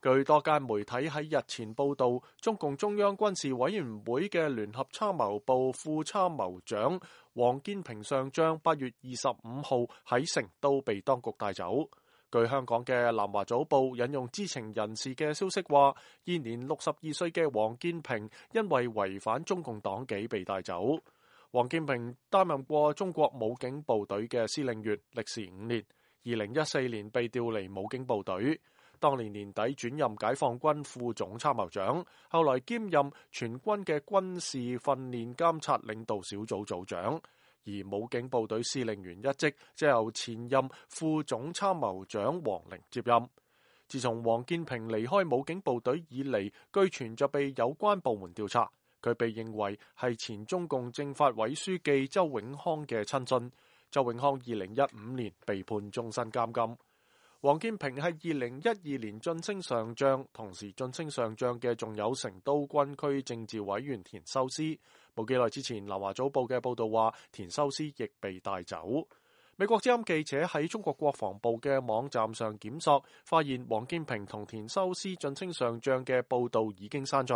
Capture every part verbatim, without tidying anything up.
據多間媒體喺日前報道，中共中央軍事委員會嘅聯合參謀部副參謀長王建平上將八月二十五號喺成都被當局帶走。據香港嘅南華早報引用知情人士嘅消息話，現年六十二歲嘅王建平因為違反中共黨紀被帶走。王建平擔任過中國武警部隊嘅司令員，歷時五年。二零一四年被調離武警部隊。當年年底轉任解放軍副總參謀長，後來兼任全軍嘅軍事訓練監察領導小組組長，而武警部隊司令員一職則由前任副總參謀長王寧接任。自從王建平離開武警部隊以嚟，據傳就被有關部門調查，佢被認為係前中共政法委書記周永康嘅親信。周永康二零一五年被判終身監禁。王建平係二零一二年晉升上將，同時晉升上將嘅仲有成都軍區政治委員田修斯。冇幾耐之前，南華早報嘅報道話，田修斯亦被帶走。美國之音記者喺中國國防部嘅網站上檢索，發現王建平同田修斯晉升上將嘅報道已經刪除，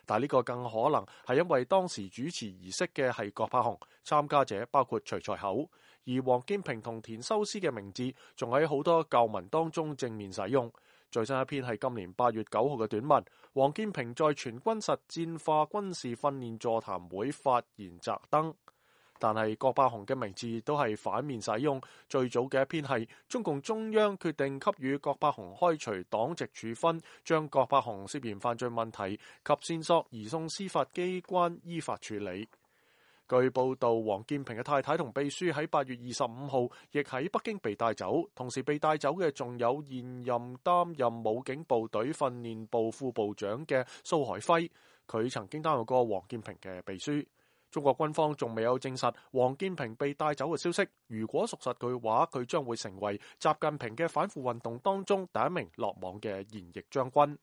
但呢個更可能係因為當時主持儀式嘅係郭柏雄，參加者包括徐才厚，而王建平同田修斯嘅名字仲喺好多舊文當中正面使用。最新一篇係今年八月九號嘅短文，王建平在全軍實戰化軍事訓練座談會發言摘燈。但係郭柏雄嘅名字都係反面使用。最早嘅一篇係中共中央決定給予郭柏雄開除黨籍處分，將郭柏雄涉嫌犯罪問題及線索移送司法機關依法處理。據報道，王建平嘅太太同秘書喺八月二十五號亦喺北京被帶走，同時被帶走嘅仲有現任擔任武警部隊訓練部副部長嘅蘇海輝，佢曾經擔任過王建平嘅秘書。中國軍方仲未有證實王建平被帶走嘅消息，如果屬實嘅話，佢將會成為習近平嘅反腐運動當中第一名落網嘅現役將軍。